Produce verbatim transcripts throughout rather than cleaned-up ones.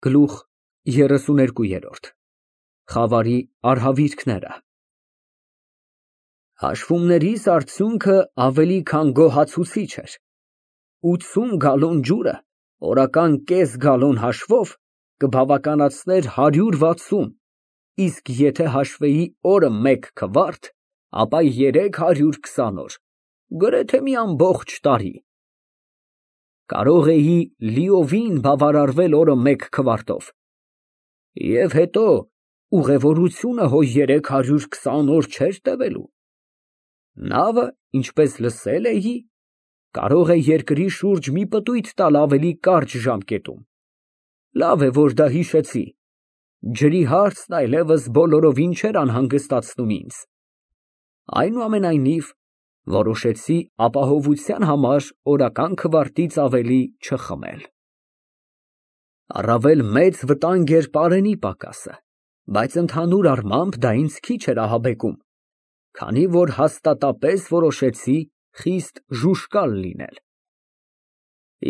Գլուխ երեսուներկու։ Խավարի արհավիրքները։ Հաշվումներիս արդյունքը ավելի քան գոհացուցիչ էր։ ութսուն գալոն ջուրը օրական կես գալոն հաշվով կբավականացներ հարյուր վաթսուն, իսկ եթե հաշվեի օրը մեկ քվարտ, ապա երեք հարյուր քսան օր, գրեթե մի ամբողջ տարի։ Կարող էի լիովին բավարարվել օրը մեկ քվարտով, և հետո ուղևորությունը հո երեք հարյուր քսան օր չէր տևելու։ Նավը, ինչպես լսել էի, կարող է երկրի շուրջ մի պտույտ տալ ավելի կարճ ժամկետում։ Լավ է, որ դա հիշեցի, ջրի հարցն այլևս բոլորովին չէր անհանգստացնում ինձ։ Այնուամենայնիվ, որոշեցի ապահովության համար օրական քվարտից ավելի չխմել։ Առավել մեծ վտանգ էր պարենի պակասը, բայց ընդհանուր առմամբ դա ինձ քիչ էր ահաբեկում, քանի որ հաստատապես որոշեցի խիստ ժուժկալ լինել։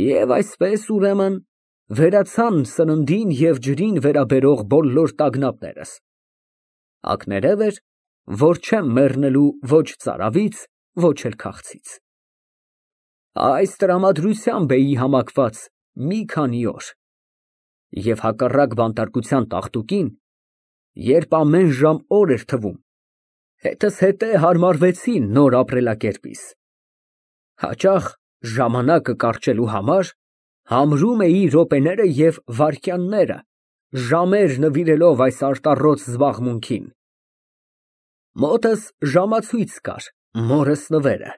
Եվ այսպես, ուրեմն, վերացան սննդին և ջրին վերաբերող բոլոր տագնապներս։ Ակներև էր, որ չեմ մեռնելու ոչ ծարավից, ոչ էլ քաղցից։ Այս տրամադրությամբ էի համակված մի քանի օր, և հակառակ բանտարկության տաղտուկին, երբ ամեն ժամ օր էր թվում, հետզհետե հարմարվեցի նոր ապրելակերպիս։ Հաճախ ժամանակը կարճելու համար համրում էի րոպեները և վայրկյանները, ժամեր նվիրելով այս արտառոց զբաղմունքին։ Մոտս ժամացույց կար, մորս նվերը,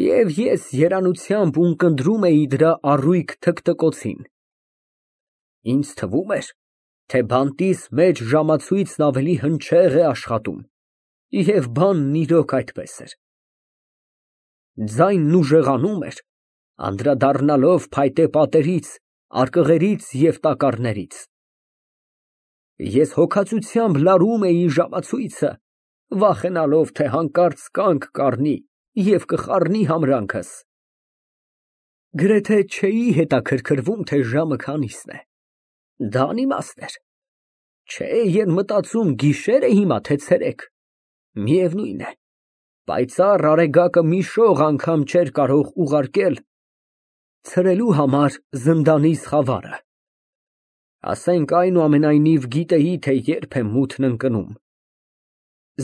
և ես երանությամբ ունկնդրում էի դրա առույգ թքթկոցին։ Ինձ թվում էր, թե բանտիս մեջ ժամացույցն ավելի հնչեղ է աշխատում, և բանն իրոք այդպես էր։ Ձայնն ուժեղանում էր, անդրադառնալով փայտե պատերից, արկղերից և տակառներից։ Ես հոգածությամբ լարում էի ժամացույցը, վախենալով, թե հանկարծ կանգ կառնի և կխառնի համրանքս։ Գրեթե չէի հետաքրքրվում, թե ժամը քանիսն է, դա անիմաստ էր, չէի մտածում գիշե՞ր է հիմա, թե ցերեկ, միևնույն է, պայծառ արեգակը մի շող անգամ չէր կարող ուղարկել ցրելու համար զնդանիս խավարը։ Ասենք, այնուամենայնիվ, գիտեի, թե երբ է մութն ընկնում։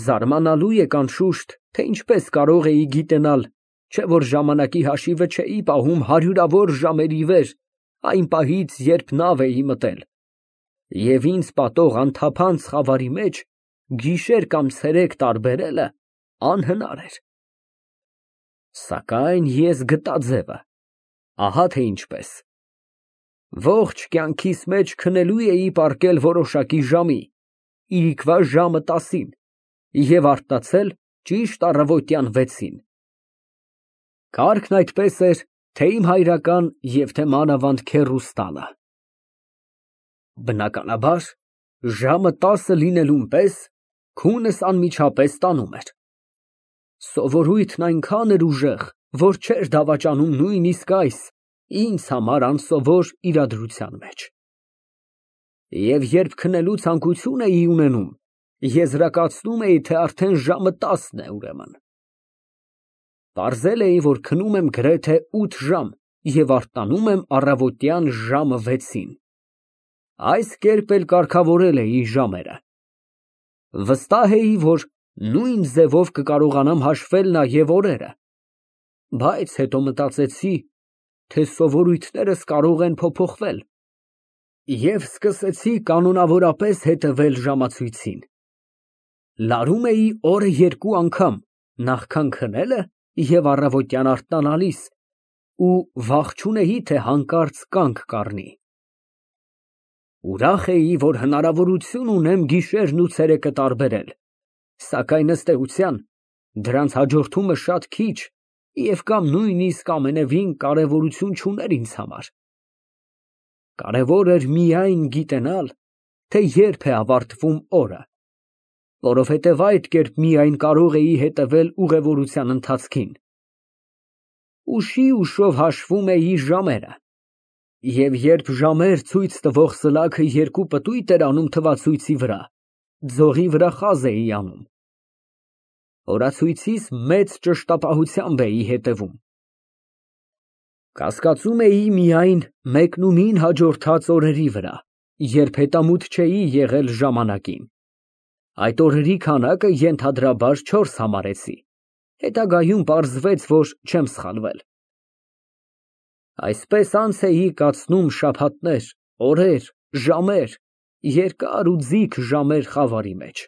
Զարմանալու եք, անշուշտ, թե ինչպես կարող էի գիտենալ, չէ՞ որ ժամանակի հաշիվը չէի պահում հարյուրավոր ժամերի վեր այն պահից, երբ նավ էի մտել, և ինձ պատող անթափանց խավարի մեջ գիշեր կամ ցերեկ տարբերելը անհնար էր։ Սակայն ես գտա ձևը, ահա թե ինչպես։ Ողջ կյանքիս մեջ քնելու էի պառկել որոշակի ժամի, իրիկվա ժամը տասին, և արթնացել ճիշտ առավոտյան վեցին։ Կարգն այդպես էր, թե իմ հայրական և թե մանավանդ քեռուս տանը։ Բնականաբար, ժամը տասը լինելուն պես քունս անմիջապես տանում էր։ Սովորույթն այնքան էր ուժեղ, որ չէր դավաճանում նույնիսկ այս, ինձ համար անսովոր իրադրության մեջ։ Եվ երբ քնելու ցանկություն էի ունենում, եզրակացնում էի, թե արդեն ժամը տասն է, ուրեմն։ Պարզել էի, որ քնում եմ գրեթե ութ ժամ և արթնանում եմ առավոտյան ժամը վեցին։ Այս կերպ էլ կարգավորել էի ժամերը։ Վստահ էի, որ նույն ձևով կկարողանամ հաշվել նաև օրերը, բայց հետո մտածեցի, թե սովորույթներս կարող են փոփոխվել, և սկսեցի կանոնավորապես հետևել ժամացույցին։ Լարում էի օրը երկու անգամ, նախքան քնելը և առավոտյան արթնանալիս, ու վախ չունեի, թե հանկարծ կանգ կառնի։ Ուրախ էի, որ հնարավորություն ունեմ գիշերն ու ցերեկը տարբերել, սակայն, ըստ էության, դրանց հաջորդումը շատ քիչ և կամ նույնիսկ ամենևին կարևորություն չուներ ինձ համար։ Կարևոր էր միայն գիտենալ, թե երբ է ավարտվում օրը, որովհետև այդ կերպ միայն կարող էի հետևել ուղևորության ընթացքին։ Ուշի ուշով հաշվում էի ժամերը Եվ երբ ժամեր ցույց տվող սլաքը երկու պտույտ էր անում թվացույցի վրա, ձողի վրա խազ էի անում։ Օրացույցիս մեծ ճշտապահությամբ էի հետևում։ Կասկածում էի միայն մեկնումին հաջորդած օրերի վրա, երբ հետամուտ չէի եղել ժամանակին։ Այդ օրերի քանակը ենթադրաբար չորս համարեցի, հետագայում պարզվեց, որ չեմ սխալվել։ Այսպես անց էի կացնում շաբաթներ, օրեր, ժամեր, երկար ու ձիգ ժամեր խավարի մեջ։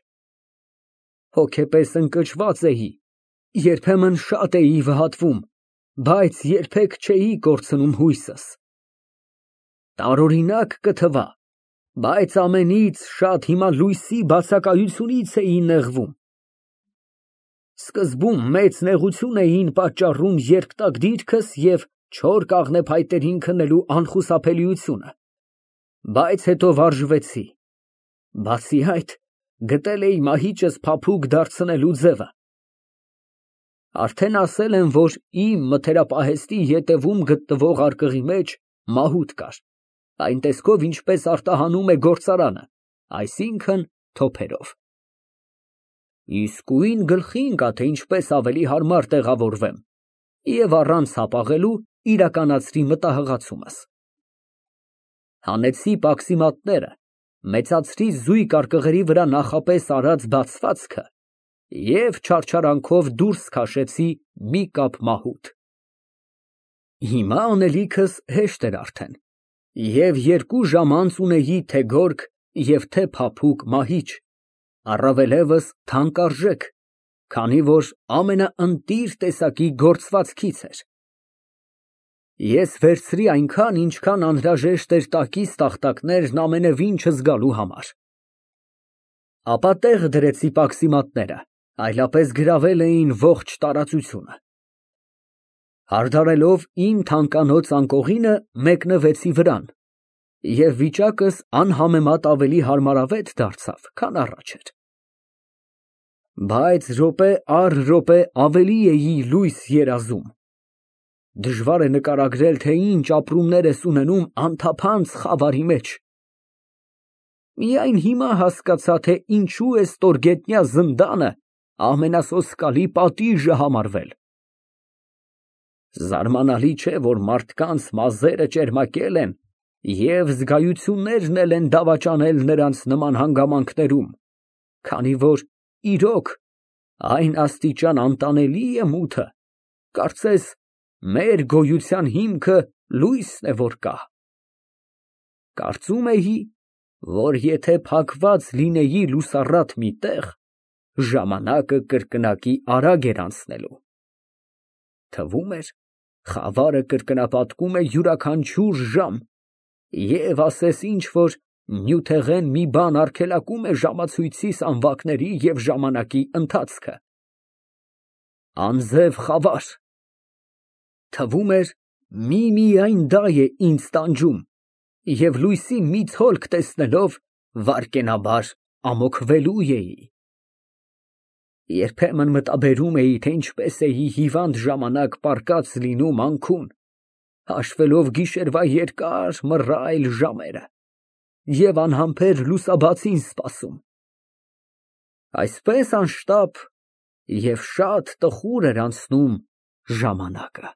Հոգեպես ընկճված էի, երբեմն շատ էի վհատվում, բայց երբեք չէի կորցնում հույսս։ Տարօրինակ կթվա, բայց ամենից շատ հիմա լույսի բացակայությունից էի նեղվում։ Սկզբում մեծ նեղություն էին պատճառում երկտակ դիրքս և չոր կաղնեփայտերին քննելու անխուսափելիությունը, բայց հետո վարժվեցի, բացի այդ, գտել էի մահիճս փափուկ դարձնելու ձևը։ Արդեն ասել եմ, որ իմ մթերապահեստի ետևում գտնվող արկղի մեջ մահութ կար, այն տեսքով, ինչպես արտահանում է գործարանը, այսինքն՝ թոփերով։ Իսկույն գլխի ընկա, թե ինչպես ավելի հարմար տեղավորվեմ և առանց հապաղելու իրականացրի մտահղացումս։ Հանեցի պաքսիմատները, մեծացրի զույգ արկղերի վրա նախապես արած բացվածքը և չարչարանքով դուրս քաշեցի մի կապ մահութ։ Հիմա անելիքս հեշտ էր արդեն, և երկու ժամ անց ունեի թե գորգ և թե փափուկ մահիճ, առավելևս թանկարժեք, քանի որ ամենաընտիր տեսակի գործվածքից էր։ Ես վերցրի այնքան, ինչքան անհրաժեշտ էր տակից տախտակներն ամենևին չզգալու համար։ Ապա տեղ դրեցի պաքսիմատները, այլապես գրավել էին ողջ տարածությունը։ Հարդարելով իմ թանկանոց անկողինը, մեկնվեցի վրան, և վիճակս անհամեմատ ավելի հարմարավետ դարձավ, քան առաջ էր։ Բայց րոպե առ րոպե ավելի էի լույս երազում։ Դժվար է նկարագրել, թե ինչ ապրումներ ես ունենում անթափանց խավարի մեջ։ Միայն հիմա հասկացա, թե ինչու է ստորգետնյա զնդանը ամենասոսկալի պատիժը համարվել։ Զարմանալի չէ, որ մարդկանց մազերը ճերմակել են և զգայություններն էլ են դավաճանել նրանց նման հանգամանքներում, քանի որ, իրոք, այն աստիճան անտանելի է մութը, կարծես մեր գոյության հիմքը լույսն է, որ կա։ Կարծում էի, որ եթե փակված լինեի լուսառատ մի տեղ, ժամանակը կրկնակի արագ էր անցնելու։ Թվում էր, խավարը կրկնապատկում է յուրաքանչյուր ժամ և ասես ինչ֊որ նյութեղեն մի բան արգելակում է ժամացույցիս անվակների և ժամանակի ընթացքը։ Անձև խավար։ Թվում էր, միմիայն դա է ինձ տանջում, և լույսի մի ցոլք տեսնելով, վայրկենաբար ամոքվելու էի։ Երբեմն մտաբերում էի, թե ինչպես էի հիվանդ ժամանակ պառկած լինում անքուն, հաշվելով գիշերվա երկար մռայլ ժամերը և անհամբեր լուսաբացին սպասում։ Այսպես անշտապ և շատ տխուր էր անցնում ժամանակը։